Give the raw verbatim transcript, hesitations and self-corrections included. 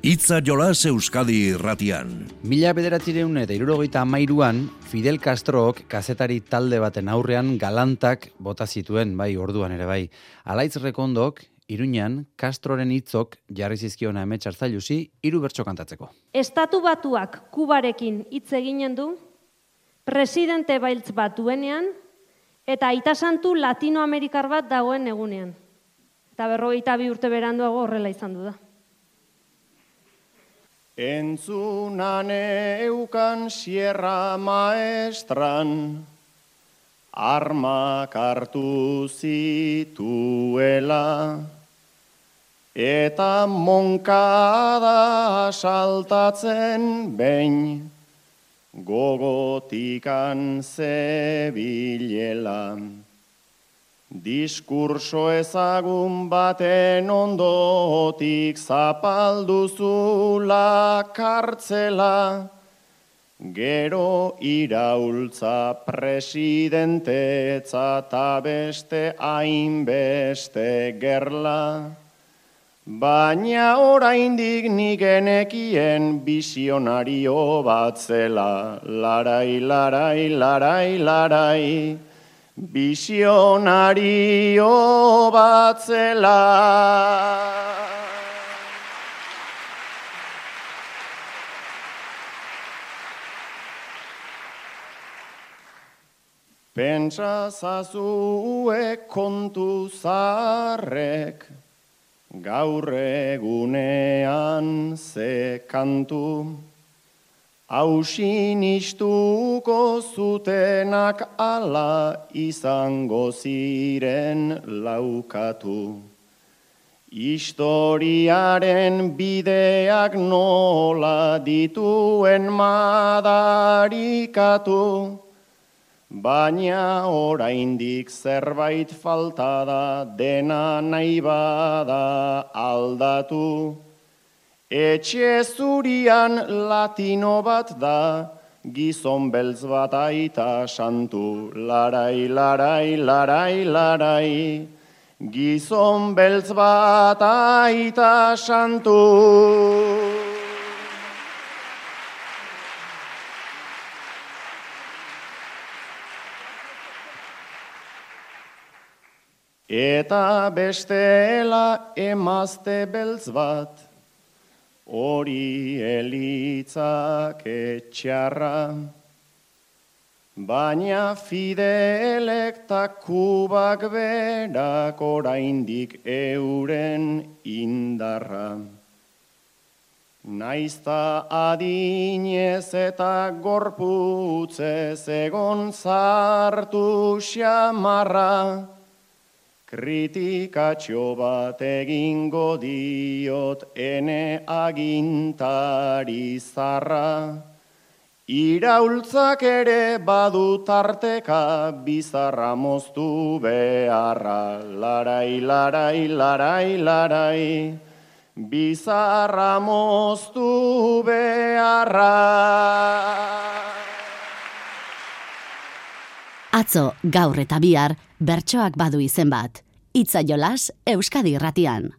Itza jolas Euskadi irratian. Mila bederatzireun eta hirurogeita hamairuan, Fidel Castrok kazetari talde baten aurrean galantak bota zituen, bai, orduan ere bai. Alaitz Rekondok, Iruñan, Castroren hitzok jarri zizkiona Amets Arzailusi hiru bertso kantatzeko. Estatu Batuak Kubarekin hitz eginen du, presidente bailtz bat duenean, eta aita santu Latinoamerikar bat dagoen egunean. Eta berrogeita bi urte beranduago horrela izan du da. Entzunan eukan Sierra Maestran, armak hartu zituela, eta Monkada saltatzen behin, gogotikan zebilela. Diskurso ezagun baten ondotik zapalduzula kartzela, gero iraultza presidentetza ta beste hainbeste gerla. Baina oraindik nik genekien bisionario bat zela, larai, larai, larai, larai. Bisionario bat zela. Pentsa zazue kontu zaharrek, gaur egunean ze kantu, hausin istuko zutenak ala izango ziren laukatu. Historiaren bideak nola dituen madarikatu, baina oraindik zerbait falta da, dena nahi bada aldatu. Etxe zurian latino bat da, gizon beltz bat aita santu, larai, larai, larai, larai, gizon beltz bat aita santu. Eta bestela emazte beltz bat, hori elitzak etxarra, baina Fidelek ta Kubak berak oraindik euren indarra. Naizta adinez eta gorputzez egon zartu xamarra, kritikatxo bat egingo diot ene agintari zarra. Iraultzak ere badu tarteka bizarra moztu beharra. Larai, larai, larai, larai, bizarra moztu beharra. Atzo, gaur eta bihar, bertsoak badu izen bat. Itza jolas Euskadi irratian.